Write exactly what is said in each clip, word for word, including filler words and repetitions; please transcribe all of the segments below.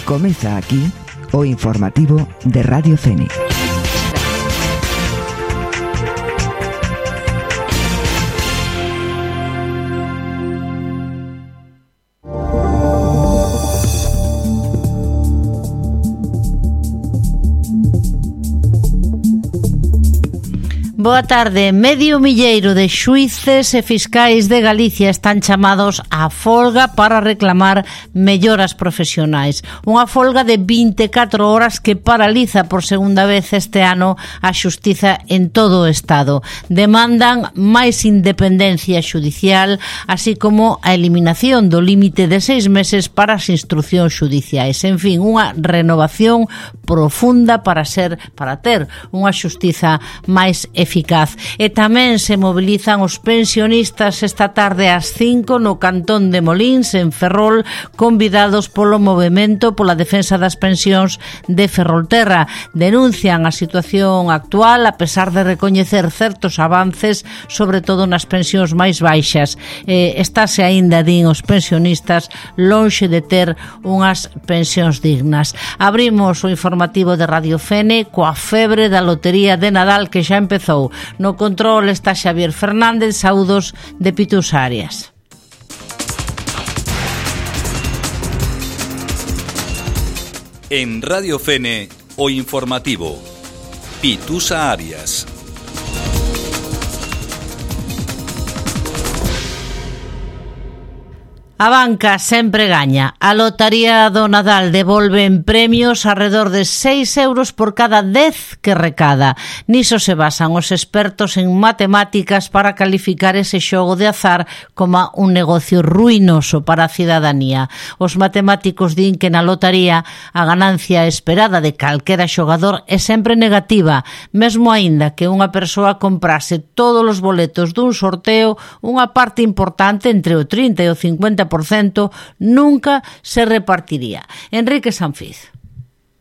Comeza aquí o informativo de Radio Fene. Boa tarde. Medio milleiro de xuíces e fiscais de Galicia están chamados á folga para reclamar melloras profesionais. Unha folga de vinte e catro horas que paraliza por segunda vez este ano a xustiza en todo o Estado. Demandan máis independencia xudicial, así como a eliminación do límite de seis meses para as instruccións xudiciais. En fin, unha renovación profunda para ser para ter unha xustiza máis eficaz. Eficaz. E tamén se mobilizan os pensionistas esta tarde ás cinco no cantón de Molíns, en Ferrol, convidados polo Movemento pola Defensa das Pensións de Ferrolterra. Denuncian a situación actual a pesar de recoñecer certos avances, sobre todo nas pensións máis baixas. Eh, estáse aínda, din os pensionistas, lonxe de ter unhas pensións dignas. Abrimos o informativo de Radio Fene coa febre da lotería de Nadal que xa empezou. No control está Xavier Fernández. Saúdos de Pitus Arias. En Radio Fene, o informativo Pitusa Arias. A banca sempre gaña. A lotaría do Nadal devolve en premios arredor de seis euros por cada dez que recada. Niso se basan os expertos en matemáticas para calificar ese xogo de azar como un negocio ruinoso para a cidadanía. Os matemáticos din que na lotaría a ganancia esperada de calquera xogador é sempre negativa, mesmo aínda que unha persoa comprase todos os boletos dun sorteo, unha parte importante, entre o trinta e o cincuenta por cento, nunca se repartiría. Enrique Sanfiz.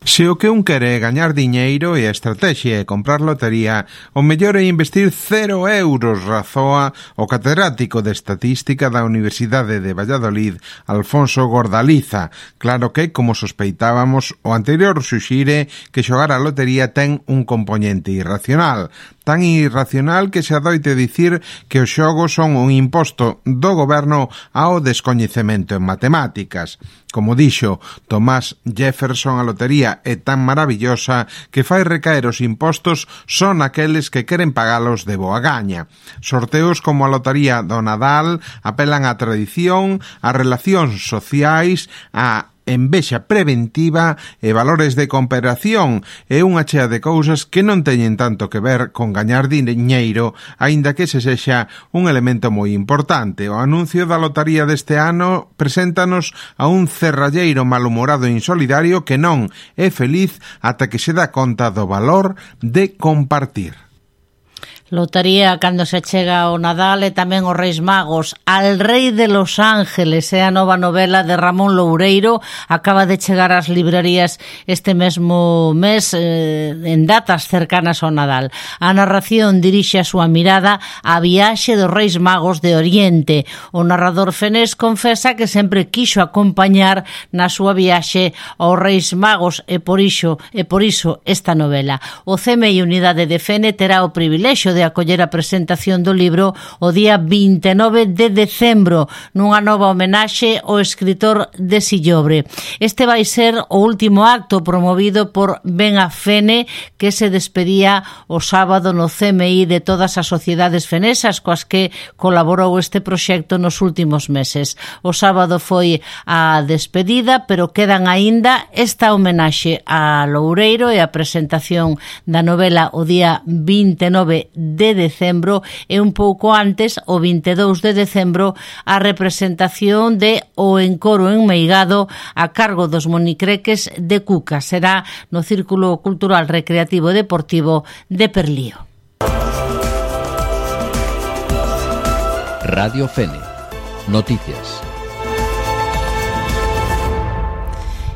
Se o que un quere é gañar diñeiro e a estrategia é comprar lotería, o mellor é investir cero euros, razoa o catedrático de Estatística da Universidade de Valladolid, Alfonso Gordaliza. Claro que, como sospeitábamos, o anterior suxire que xogar a lotería ten un componente irracional. Tan irracional que se adoite dicir que os xogos son un imposto do goberno ao descoñecemento en matemáticas. Como dixo Thomas Jefferson, a lotería é tan maravillosa que fai recaer os impostos son aqueles que queren pagalos de boa gaña. Sorteos como a lotería do Nadal apelan á tradición, a relacións sociais, a envexa preventiva e valores de cooperación e unha chea de cousas que non teñen tanto que ver con gañar diñeiro, aínda que se sexa un elemento moi importante. O anuncio da lotaría deste ano preséntanos a un cerralleiro malhumorado e insolidario que non é feliz ata que se dá conta do valor de compartir. Lotaría cando se chega ao Nadal e tamén os Reis Magos. Al Rei de Los Ángeles é a nova novela de Ramón Loureiro, acaba de chegar ás librarías este mesmo mes eh, en datas cercanas ao Nadal. A narración dirixe a súa mirada á viaxe dos Reis Magos de Oriente. O narrador fenés confesa que sempre quixo acompañar na súa viaxe aos Reis Magos e por iso, e por iso esta novela. O C M I Unidade de Fene terá o privilexio de acoller a presentación do libro o día vinte e nove de decembro nunha nova homenaxe ao escritor de Sillobre. Este vai ser o último acto promovido por Ben a Fene, que se despedía o sábado no C M I de todas as sociedades fenesas coas que colaborou este proxecto nos últimos meses. O sábado foi a despedida, pero quedan aínda esta homenaxe a Loureiro e a presentación da novela o día vinte e nove de decembro e un pouco antes, o vinte e dous de decembro, a representación de O Encoro Enmeigado a cargo dos monicreques de Cuca. Será no Círculo Cultural Recreativo e Deportivo de Perlío. Radio Fene. Noticias.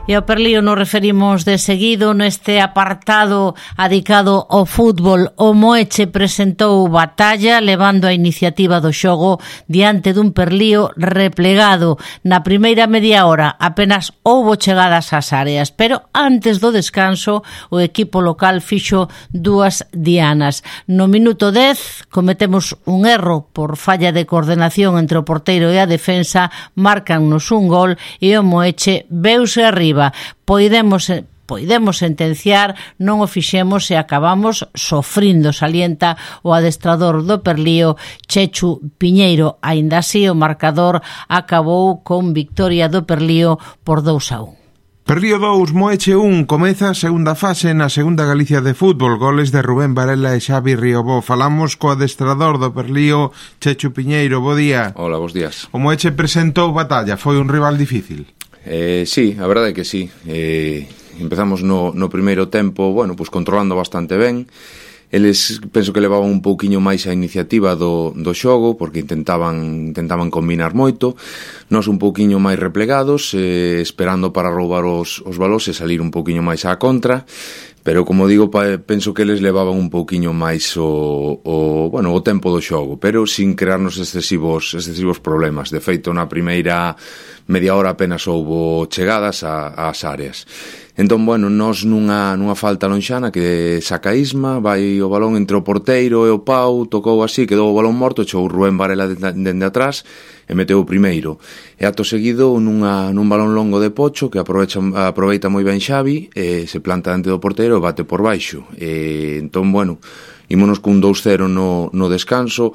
E ao Perlío nos referimos de seguido neste apartado adicado ao fútbol. O Moeche presentou batalla levando a iniciativa do xogo diante dun Perlío replegado. Na primeira media hora apenas houbo chegadas ás áreas, pero antes do descanso o equipo local fixo dúas dianas. No minuto dez cometemos un erro por falla de coordenación entre o porteiro e a defensa, marcannos un gol e o Moeche veuse arriba. Poidemos Poidemos sentenciar, non o fixemos e acabamos sofrindo, salienta o adestrador do Perlío, Chechu Piñeiro. Aínda así, o marcador acabou con victoria do Perlío por dous a un. Perlío dous, Moeche un, comeza a segunda fase na segunda Galicia de fútbol, goles de Rubén Varela e Xavi Riobó. Falamos co adestrador do Perlío, Chechu Piñeiro, bo día. Hola, bos días. O Moeche presentou batalla, foi un rival difícil. Eh, sí, a verdade é que sí. Eh, empezamos no, no primeiro tempo, bueno, pues controlando bastante ben. Eles penso que levaban un pouquiño máis a iniciativa do, do xogo, porque intentaban intentaban combinar moito. Nós un pouquiño máis replegados, eh, esperando para roubar os, os balóns e salir un pouquiño máis á contra. Pero, como digo, penso que eles levaban un pouquiño máis o, o, bueno, o tempo do xogo, pero sin crearnos excesivos, excesivos problemas. De feito, na primeira media hora apenas houbo chegadas a, ás áreas. Entón, bueno, nós nunha, nunha falta lonxana que saca Isma, vai o balón entre o porteiro e o Pau, tocou así, quedou o balón morto, echou o Rubén Varela dende atrás e meteu o primeiro. E acto seguido, nunha, nun balón longo de Pocho, que aprovecha, aproveita moi ben Xavi, e se planta dentro do porteiro e bate por baixo. E, entón, bueno, ímonos cun dous cero no, no descanso.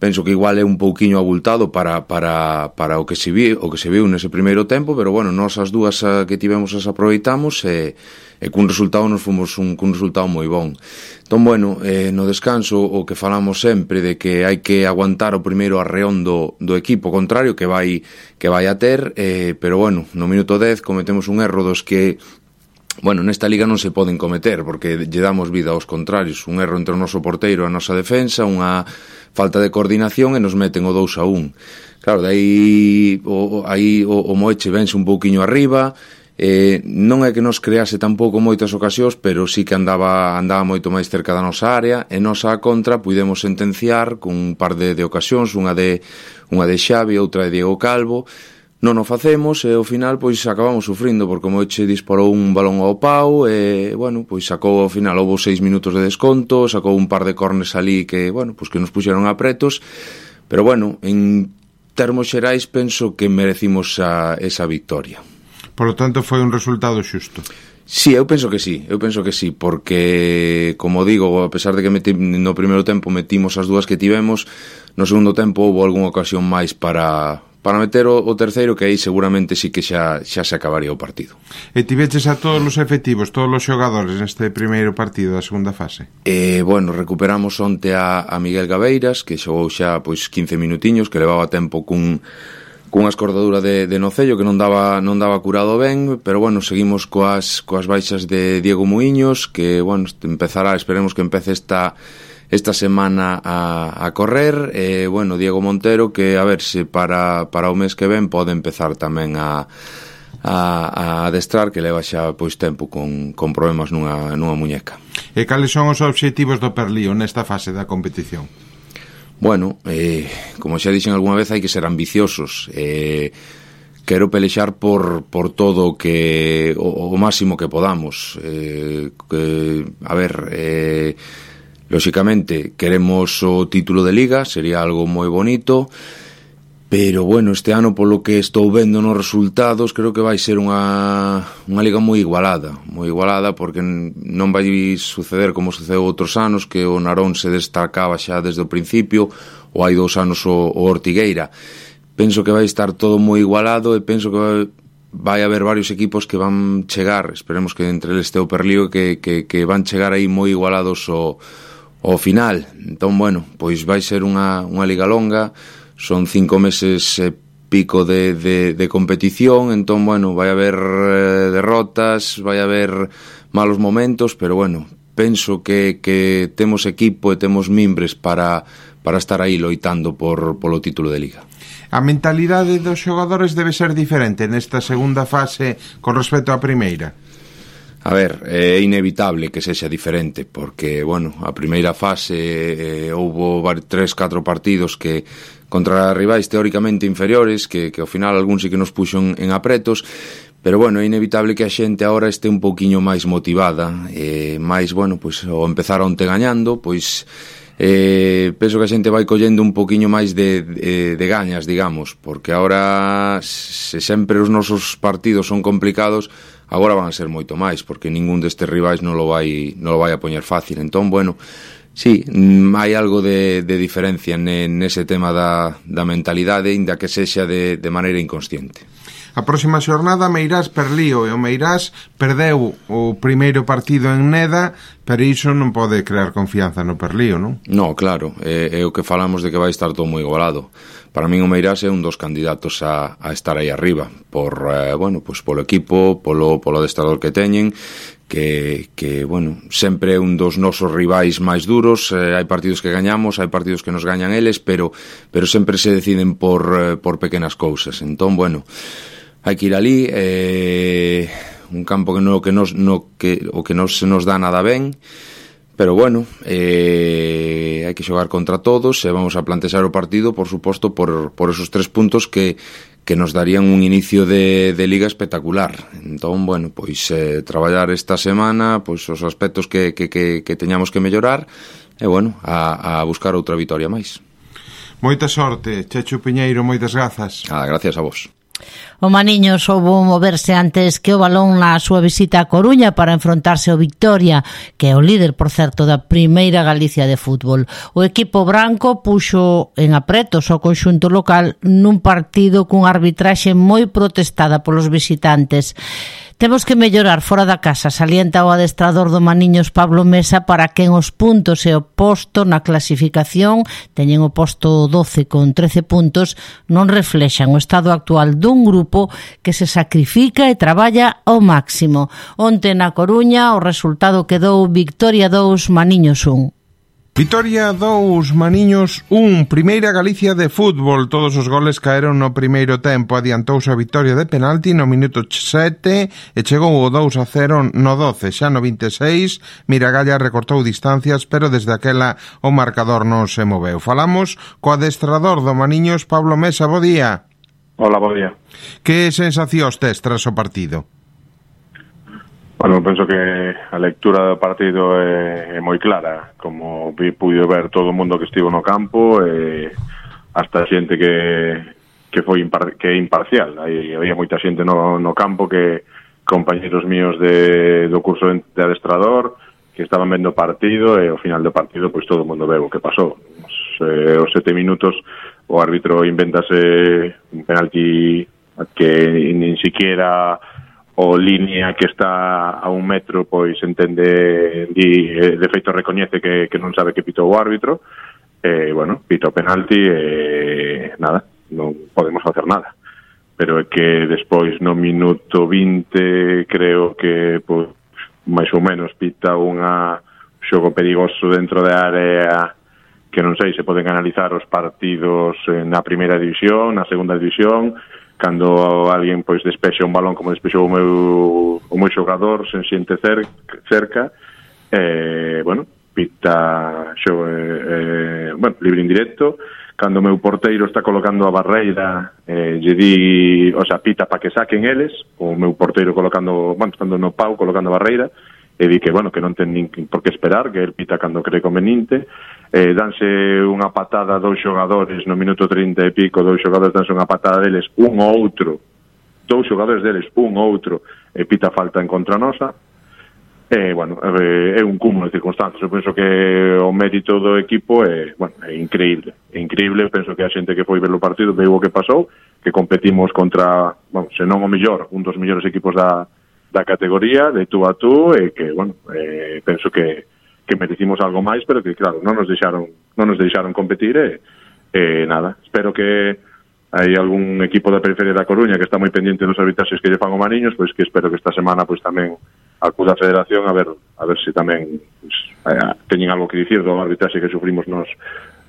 Penso que igual é un pouquiño abultado para, para, para o que se viu, o que se viu nese primeiro tempo, pero bueno, nós as dúas que tivemos as aproveitamos e, e cun resultado nos fomos un, cun resultado moi bon. Entón, bueno, eh, no descanso o que falamos sempre de que hai que aguantar o primeiro arreón do, do equipo contrario que vai, que vai a ter, eh, pero bueno, no minuto dez cometemos un erro dos que bueno, nesta liga non se poden cometer porque lle damos vida aos contrarios, un erro entre o noso porteiro e a nosa defensa, unha falta de coordinación e nos meten o dous a un. Claro, dai o, aí o, o Moeche vense un pouquiño arriba, eh, non é que nos crease tampouco moitas ocasións, pero sí que andaba andaba moito máis cerca da nosa área e nos a contra pudemos sentenciar con un par de, de ocasións, unha de unha de Xavi, outra de Diego Calvo. Non o facemos e ao final pois acabamos sufrindo porque o Moeche disparou un balón ao Pau e, bueno, pois sacou ao final, houve seis minutos de desconto, sacou un par de cornes ali que, bueno, pois que nos puxeron apretos, pero, bueno, en termos xerais penso que merecimos a, esa victoria. Por lo tanto, foi un resultado xusto. Sí, eu penso que sí, eu penso que sí, porque, como digo, a pesar de que meti, no primeiro tempo metimos as dúas que tivemos, no segundo tempo houve algunha ocasión máis para... para meter o, o terceiro, que aí seguramente sí que xa, xa se acabaría o partido. E tiveches a todos os efectivos, todos os xogadores neste primeiro partido da segunda fase? Eh, bueno, recuperamos onte a, a Miguel Gabeiras, que xogou xa pois quince minutiños, que levaba tempo cun, cunha escordadura de, de nocello que non daba, non daba curado ben, pero bueno, seguimos coas, coas baixas de Diego Muiños, que, bueno, empezará, esperemos que empece esta... esta semana a, a correr, e, bueno, Diego Montero, que a ver se para, para o mes que ven pode empezar tamén a, a, a adestrar, que leva xa pois tempo con, con problemas nunha, nunha muñeca. E cales son os obxectivos do Perlío nesta fase da competición? Bueno, eh, como xa dixen algunha vez, hai que ser ambiciosos. Eh, quero pelexar por, por todo que o, o máximo que podamos. Eh, que, a ver... Eh, Lóxicamente, queremos o título de Liga, sería algo moi bonito, pero, bueno, este ano, polo que estou vendo nos resultados, creo que vai ser unha, unha Liga moi igualada, moi igualada, porque non vai suceder como sucedeu outros anos, que o Narón se destacaba xa desde o principio, ou hai dous anos o, o Ortigueira. Penso que vai estar todo moi igualado e penso que vai... vai haber varios equipos que van chegar, esperemos que entre eles este o Perlío, que, que, que van chegar aí moi igualados ao, ao final. Entón, bueno, pois vai ser unha, unha liga longa, son cinco meses e pico de, de, de competición, entón, bueno, vai haber eh, derrotas, vai haber malos momentos, pero, bueno, penso que, que temos equipo e temos mimbres para, para estar aí loitando por, polo título de Liga. A mentalidade dos xogadores debe ser diferente nesta segunda fase con respecto á primeira? A ver, é inevitable que sexa diferente, porque, bueno, a primeira fase eh, houbo tres, catro partidos que contra rivais teóricamente inferiores, que, que ao final algún sí que nos puxo en, en apretos, pero, bueno, é inevitable que a xente agora este un pouquiño máis motivada, eh, máis, bueno, pois, ao empezar onte gañando, pois, eh, penso que a xente vai collendo un pouquiño máis de, de, de gañas, digamos, porque agora, se sempre os nosos partidos son complicados, agora van a ser moito máis, porque ningún destes rivais non lo vai non lo vai a poñer fácil. Entón, bueno, sí, hai algo de, de diferencia nese tema da, da mentalidade, inda que sexa de, de maneira inconsciente. A próxima xornada Meirás Perlío, e o Meirás perdeu o primeiro partido en Neda, pero iso non pode crear confianza no Perlío, non? No, claro, é, é o que falamos de que vai estar todo moi igualado. Para min o Meirás é un dos candidatos a, a estar aí arriba, por, eh, bueno, pues polo equipo, polo, polo adestrador que teñen, que, que, bueno, sempre é un dos nosos rivais máis duros, eh, hai partidos que gañamos, hai partidos que nos gañan eles, pero pero sempre se deciden por, eh, por pequenas cousas. Entón, bueno, hai que ir ali, eh, un campo que no, que nos, no, que, o que non se nos dá nada ben, pero bueno, eh, hai que xogar contra todos e vamos a plantexar o partido, por suposto, por, por esos tres puntos que, que nos darían un inicio de, de liga espectacular. Entón, bueno, pois eh, traballar esta semana pois os aspectos que, que, que, que teñamos que mellorar e, bueno, a, a buscar outra vitoria máis. Moita sorte, Chechu Piñeiro, moitas grazas. Ah, gracias a vos. O Maniño soubo moverse antes que o Balón na súa visita a Coruña para enfrontarse ao Victoria, que é o líder, por certo, da primeira Galicia de fútbol. O equipo branco puxo en apretos ao conxunto local nun partido cun arbitraxe moi protestada polos visitantes. Temos que mellorar fora da casa, salienta o adestrador do Maniños Pablo Mesa, para que en os puntos e o posto na clasificación, teñen o posto doce con trece puntos, non reflexan o estado actual dun grupo que se sacrifica e traballa ao máximo. Onte na Coruña o resultado quedou Victoria dous, Maniños un. Vitoria dous, Maniños un, primeira Galicia de fútbol. Todos os goles caeron no primeiro tempo. Adiantouse a Victoria de penalti no minuto sete e chegou o dous a cero no doce. Xa no vinte e seis, Miragalla recortou distancias, pero desde aquela o marcador non se moveu. Falamos co adestrador do Maniños, Pablo Mesa. Bo día. Hola, bo día. Que sensacións tes tras o partido? Bueno, penso que a lectura do partido é, é moi clara, como pude ver todo o mundo que estivo no campo, e hasta xente que que foi impar, que é imparcial. Aí había moita xente no, no campo, que compañeros míos de, do curso de adestrador, que estaban vendo o partido, e ao final do partido pois todo o mundo veu o que pasou. Os, eh, os sete minutos o árbitro inventase un penalti que nin siquiera o línea que está a un metro pois entende, di, de feito recoñece que, que non sabe que pitou o árbitro, e, bueno, pita o penalti e nada, non podemos facer nada. Pero é que despois no minuto vinte creo que pois, máis ou menos pita unha xogo perigoso dentro da área, que non sei se poden analizar os partidos na primeira división, na segunda división, cando alguén pois despexa un balón como despexou o meu o meu xogador sen xente cerca, eh, bueno, pita xo, eh, bueno, libre indirecto, cando o meu porteiro está colocando a barreira, eh, lle di, o sea, pita para que saquen eles, o meu porteiro colocando, bueno, estando no pau colocando a barreira, e di que, bueno, que non ten nin por que esperar, que el pita cando cree conveniente. Eh, danse unha patada a dous xogadores no minuto trinta e pico, dous xogadores danse unha patada deles, un ou outro, dous xogadores deles, un ou outro, e pita falta en contra nosa. E, bueno, é un cúmulo de circunstancias. Eu penso que o mérito do equipo é, bueno, é increíble. É increíble, penso que a xente que foi ver o partido veu o que pasou, que competimos contra, bueno, se non o mellor, un dos mellores equipos da, da categoría, de tú a tú, e que, bueno, eh, penso que que merecimos algo máis, pero que, claro, non nos deixaron non nos deixaron competir, e, e nada, espero que hai algún equipo da periferia da Coruña que está moi pendiente dos arbitraxes que lle fan o Maniños, pois que espero que esta semana pois tamén acuda a Federación a ver a ver se tamén pois, eh, teñen algo que dicir do arbitraxe que sufrimos nos,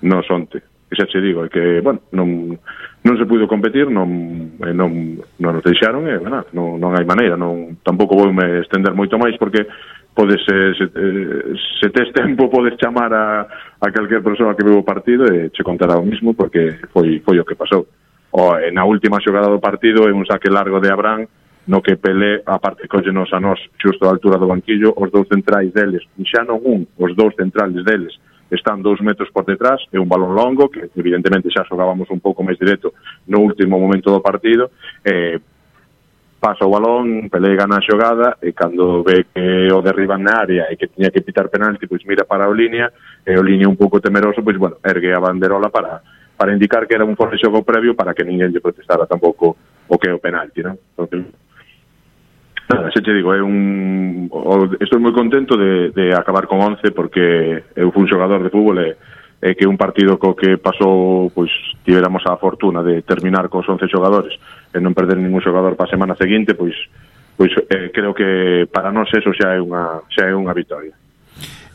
nos onte. que xa che digo, é que, bueno, non, non se puido competir, non, non, non nos deixaron, e, bueno, non, non hai maneira, non, tampouco vou me estender moito máis, porque podes, se, se, se tes tempo, podes chamar a, a calquer persoa que veu o partido e che contará o mismo, porque foi, foi o que pasou. O, na última xogada do partido, é un saque largo de Abraham, no que Pelé, aparte, collenos a nós xusto a altura do banquillo, os dous centrais deles, xa non un, os dous centrales deles, están dous metros por detrás, é un balón longo, que evidentemente xa xogábamos un pouco máis directo no último momento do partido, eh, pasa o balón, Pelé gana a xogada, e cando ve que o derriban na área e que tiña que pitar penalti, pois mira para o línea, e o línea un pouco temeroso, pois bueno, ergue a banderola para, para indicar que era un fora de xogo previo para que ninguén lle protestara tampouco o que é o penalti, non? Entonces, nada, xa te digo, é un... estou moi contento de, de acabar con once, porque eu fui un xogador de fútbol e, e que un partido co que pasou, pois, tiveramos a fortuna de terminar cos once xogadores e non perder ningún xogador para a semana seguinte, pois, pois eh, creo que para nós eso xa é unha, xa é unha victoria.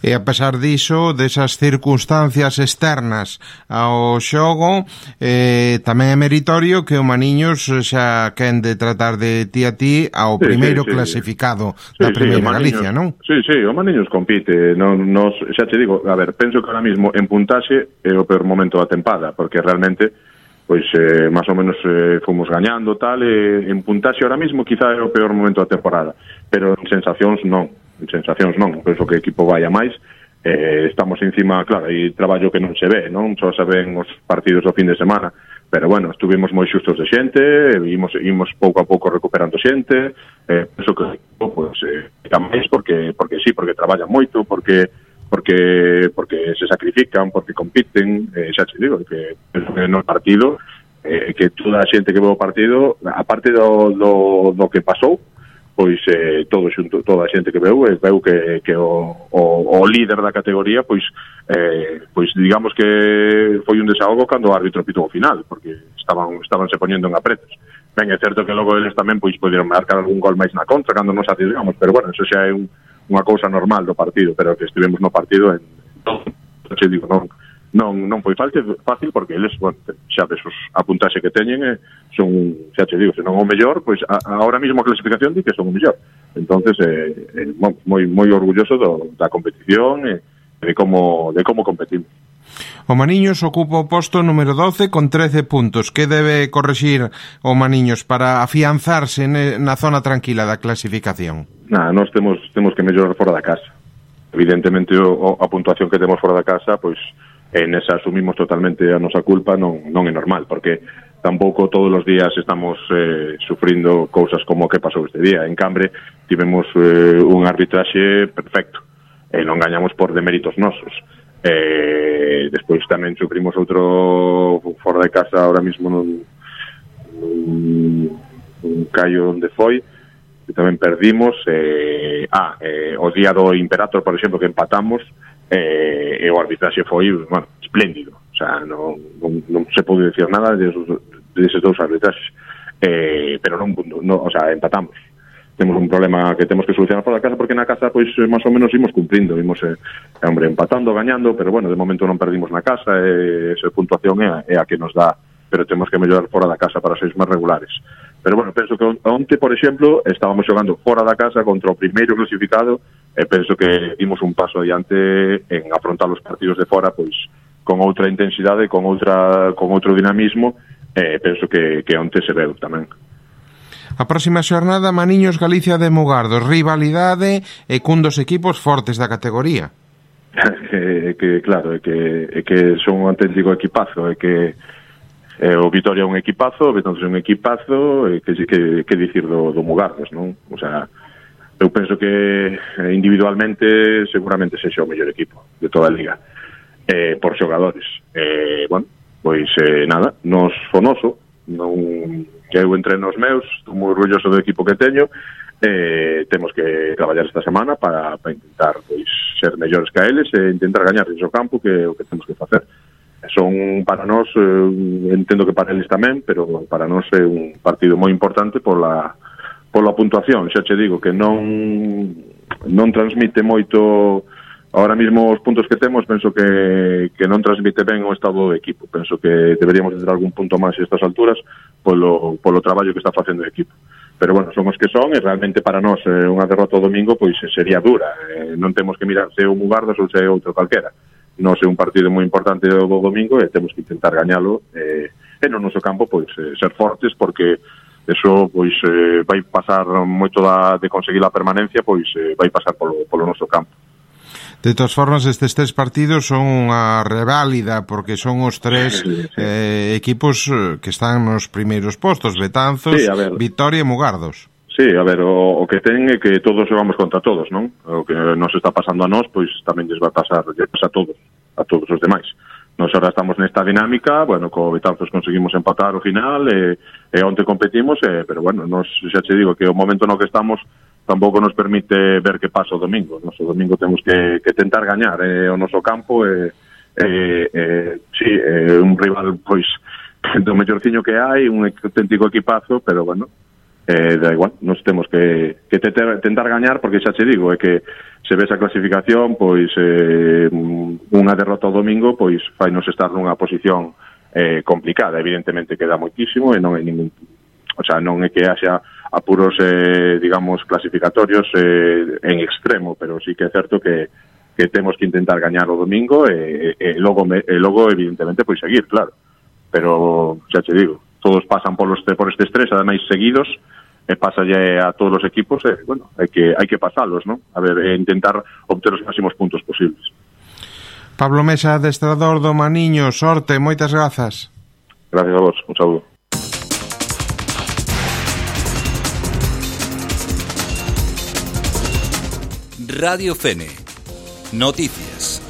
E a pesar diso, desas circunstancias externas ao xogo, eh, tamén é meritorio que o Maniños xa quen de tratar de ti a ti ao sí, primeiro sí, sí. clasificado sí, da sí, Primeira Maniños, Galicia, non? Sí, sí, o Maniños compite, non, nos, xa te digo, a ver, penso que ahora mismo en puntaxe é o peor momento da tempada, porque realmente pois eh, máis ou menos eh, fomos gañando tal, e en puntaxe ahora mismo quizá é o peor momento da temporada, pero en sensacións non. En sensacións non, penso que o equipo vai a máis, eh, estamos encima, claro, e traballo que non se ve, non só se ven os partidos do fin de semana, pero bueno, estuvimos moi xustos de xente, imos, imos pouco a pouco recuperando xente, eh, penso que o equipo pues, eh, a máis porque, porque sí, porque traballan moito, porque porque porque se sacrifican, porque compiten, eh, xa te digo, que penso que no partido, eh, que toda a xente que ve o partido, aparte do, do, do que pasou, pois eh, todo xunto, toda a xente que veu, eh, veu que, que o, o, o líder da categoría, pois eh, pois digamos que foi un desahogo cando o árbitro pitou o final, porque estaban estaban se poñendo en apretos. Ben, é certo que logo eles tamén pois poderon marcar algún gol máis na contra cando nos arriesgamos, pero bueno, eso xa é un, unha cousa normal do partido, pero que estivemos no partido en todo, xe digo, non non non foi fácil, fácil porque eles, bueno, xa ves os a puntaxe que teñen, eh, son, xa te digo, se non o mellor, pois a, ahora mesmo a clasificación di que son o mellor. Entonces, eh, eh, moi moi orgulloso do, da competición e eh, de como de como competimos. O Maniños ocupa o posto número doce con trece puntos. Que debe correxir o Maniños para afianzarse na zona tranquila da clasificación? Nada, nós temos temos que mellorar fora da casa. Evidentemente, o, a puntuación que temos fora da casa, pois en esa asumimos totalmente a nosa culpa, non, non é normal, porque tampouco todos os días estamos eh, sufrindo cousas como o que pasou este día. En Cambre tivemos eh, un arbitraxe perfecto, e non gañamos por deméritos nosos. Eh, despois tamén sufrimos outro fora de casa ahora mismo nun, nun, nun callo onde foi, que tamén perdimos. Eh, ah, eh, o día do Imperator, por exemplo, que empatamos, eh, e o arbitraxe foi, bueno, espléndido, o sea, non, non, non se pode decir nada de esos, de esos dous arbitraxes, eh, pero non, non, o sea, empatamos. Temos un problema que temos que solucionar por a casa, porque na casa, pois, máis ou menos imos cumprindo, imos, eh, hombre, empatando, gañando, pero bueno, de momento non perdimos na casa, e esa puntuación é a, é a que nos dá, pero temos que mellorar fora da casa para ser máis regulares. Pero bueno, penso que onte, por exemplo, estábamos xogando fora da casa contra o primeiro clasificado, e penso que dimos un paso adiante en afrontar os partidos de fora, pois, con outra intensidade, con outra con outro dinamismo, e penso que, que onte se veu tamén. A próxima xornada, Maniños Galicia de Mugardos, rivalidade e cun dos equipos fortes da categoría. que, que claro, é que, é que son un auténtico equipazo, é que eh, o Vitoria é un equipazo, o Betanzos é un equipazo, e que, que, que dicir do, do Mugardos, non? O sea, eu penso que individualmente seguramente sexa o mellor equipo de toda a liga, eh, por xogadores. Eh, bueno, pois eh, nada, nos fonoso, non, eu entreno os meus, estou moi orgulloso do equipo que teño, eh, temos que traballar esta semana para, para intentar pois ser mellores que a eles e intentar gañar o campo, que é o que temos que facer. Son para nós, eh, entendo que para eles tamén, pero para nós é un partido moi importante pola pola puntuación. Xa che digo que non non transmite moito ahora mismo os puntos que temos penso que, que non transmite ben o estado do equipo. Penso que deberíamos ter algún punto máis a estas alturas polo, polo traballo que está facendo o equipo. Pero bueno, son os que son e realmente para nós eh, unha derrota o domingo pois sería dura. Eh, non temos que mirar se é o Mugardos ou se é outro calquera. Nós é un partido moi importante do domingo e temos que intentar gañalo eh, e no noso campo pois eh, ser fortes, porque eso pois eh, vai pasar moito da, de conseguir a permanencia, pois eh, vai pasar polo, polo noso campo. De todas formas, estes tres partidos son unha reválida porque son os tres sí, sí. Eh, equipos que están nos primeiros postos, Betanzos, sí, Vitoria e Mugardos. Sí, a ver, o, o que ten é que todos vamos contra todos, non? O que nos está pasando a nós, pois tamén lles vai pasar, lles pasa a todos, a todos os demais. Nos ahora estamos nesta dinámica, bueno, co Betanzos conseguimos empatar o final e, e onte competimos, e, pero bueno, nos, xa te digo que o momento no que estamos tampouco nos permite ver que pasa o domingo. Nos o domingo temos que, que tentar gañar eh, o noso campo e, eh, eh, sí, é eh, un rival pois do mellorciño que hai, un auténtico equipazo, pero bueno, eh, da igual, nos temos que, que tentar, tentar gañar, porque xa te digo, é que se ves a clasificación, pois eh, unha derrota o domingo, pois fai nos estar nunha posición eh, complicada. Evidentemente queda moitísimo e non hai ningún, o sea, non é que haxa apuros, eh, digamos, clasificatorios eh, en extremo, pero sí que é certo que, que temos que intentar gañar o domingo e, e, logo, e logo, evidentemente, pois seguir, claro. Pero, xa te digo, todos pasan por, los, por estes tres, ademais seguidos, e pasa ya a todos os equipos, e, bueno, hai que, hai que pasalos, ¿no? A ver, e intentar obter os máximos puntos posibles. Pablo Mesa, adestrador do Maniño, sorte, moitas grazas. Gracias a vos, un saúdo. Radio Fene. Noticias.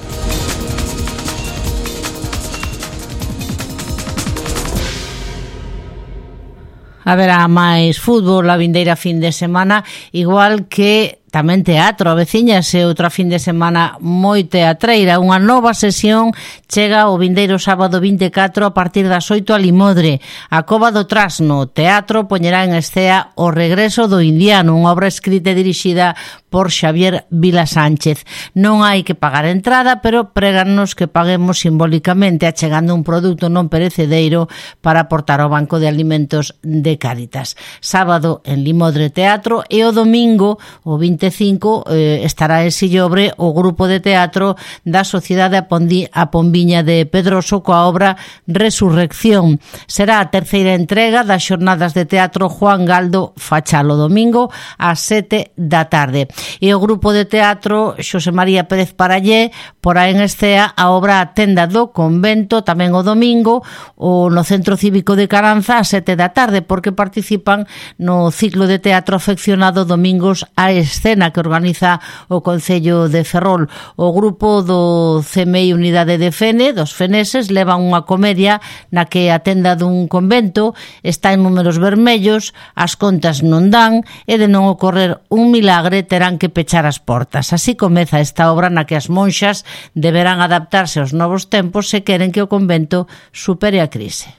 Haberá máis fútbol a vindeira fin de semana, igual que tamén teatro. A veciñase outra fin de semana moi teatreira. Unha nova sesión chega o vindeiro sábado vinte e catro a partir das oito a Limodre. A Cova do Trasno Teatro poñerá en escea O regreso do indiano, unha obra escrita e dirixida por Xavier Vila Sánchez. Non hai que pagar entrada, pero prégannos que paguemos simbólicamente achegando un produto non perecedereiro para aportar ao Banco de Alimentos de Cáritas. Sábado en Limodre Teatro e o domingo, o vinte e cinco, eh, estará en Sillobre o grupo de teatro da Sociedade a, Pondi, a Pombiña de Pedroso coa obra Resurrección. Será a terceira entrega das xornadas de teatro Juan Galdo Fachal o domingo ás sete da tarde. E o grupo de teatro Xosé María Pérez Parallé porá en escea a obra A Tenda do Convento tamén o domingo o no Centro Cívico de Caranza ás sete da tarde, porque participan no ciclo de teatro afeccionado Domingos a Escena que organiza o Concello de Ferrol. O grupo do C M I Unidade de Fene, dos feneses, levan unha comedia na que a tenda dun convento está en números vermellos, as contas non dan e de non ocorrer un milagre terán que pechar as portas. Así comeza esta obra na que as monxas deberán adaptarse aos novos tempos se queren que o convento supere a crise.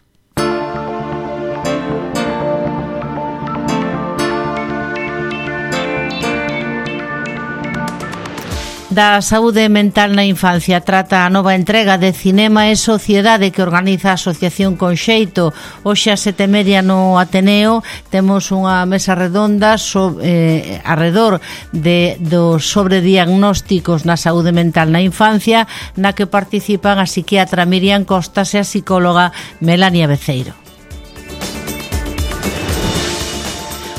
Da saúde mental na infancia trata a nova entrega de Cinema e Sociedade que organiza a Asociación Conxeito. Hoxe a sete e media no Ateneo temos unha mesa redonda so, eh, arredor de, dos sobrediagnósticos na saúde mental na infancia, na que participan a psiquiatra Miriam Costas e a psicóloga Melania Beceiro.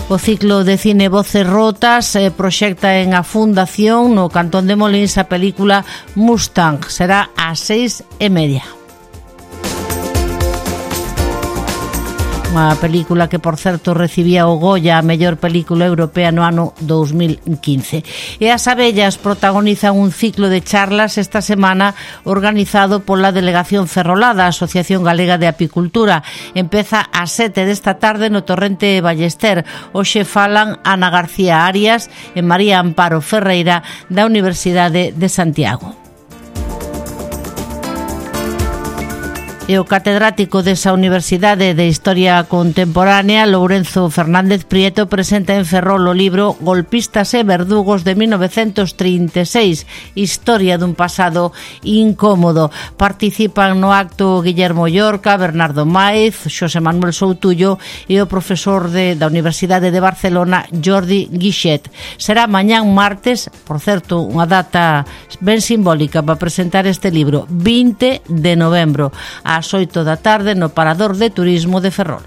O ciclo de cine Voces Rotas eh, proxecta en a Fundación no Cantón de Molins a película Mustang. Será ás seis e media. Unha película que, por certo, recibía o Goya a mellor película europea no ano dous mil quince. E as abellas protagonizan un ciclo de charlas esta semana organizado pola Delegación Ferrolada, a Asociación Galega de Apicultura. Empeza ás sete desta tarde no Torrente Ballester. Hoxe falan Ana García Arias e María Amparo Ferreira da Universidade de Santiago. E o catedrático desa Universidade de Historia Contemporánea, Lourenzo Fernández Prieto, presenta en Ferrol o libro Golpistas e verdugos de mil novecentos trinta e seis, historia dun pasado incómodo. Participan no acto Guillermo Llorca, Bernardo Maiz, Xosé Manuel Soutullo e o profesor de, da Universidade de Barcelona, Jordi Guixet. Será mañán martes, por certo, unha data ben simbólica para presentar este libro, vinte de novembro, ás oito da tarde no Parador de Turismo de Ferrol.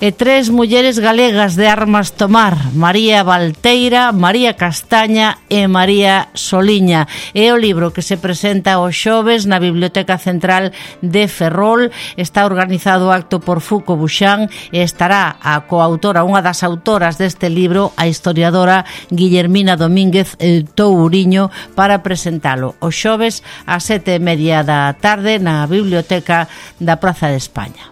E tres mulleres galegas de armas tomar, María Valteira, María Castaña e María Soliña. É o libro que se presenta os xoves na Biblioteca Central de Ferrol. Está organizado o acto por Fuco Buxán e estará a coautora, unha das autoras deste libro, a historiadora Guillermina Domínguez Touriño, para presentalo os xoves ás sete e media da tarde na Biblioteca da Praza de España.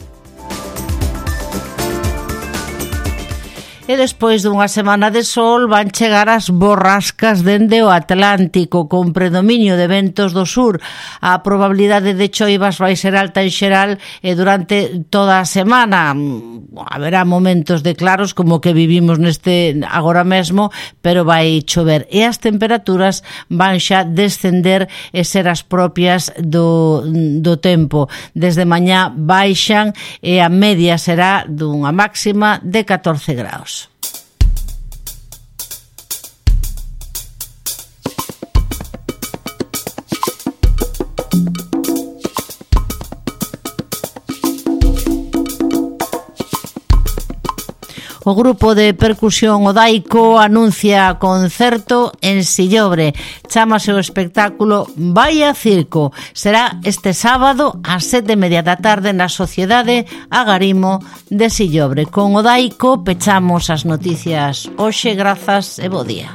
E despois dunha semana de sol van chegar as borrascas dende o Atlántico con predominio de ventos do sur. A probabilidade de choivas vai ser alta en xeral e durante toda a semana haberá momentos de claros como que vivimos neste agora mesmo, pero vai chover e as temperaturas van xa descender e ser as propias do, do tempo. Desde mañá baixan e a media será dunha máxima de catorce graus. O grupo de percusión Odaico anuncia concerto en Sillobre. Chámase o espectáculo Vaya Circo. Será este sábado ás sete e media da tarde na Sociedade Agarimo de Sillobre. Con Odaico pechamos as noticias hoxe. Grazas e bo día.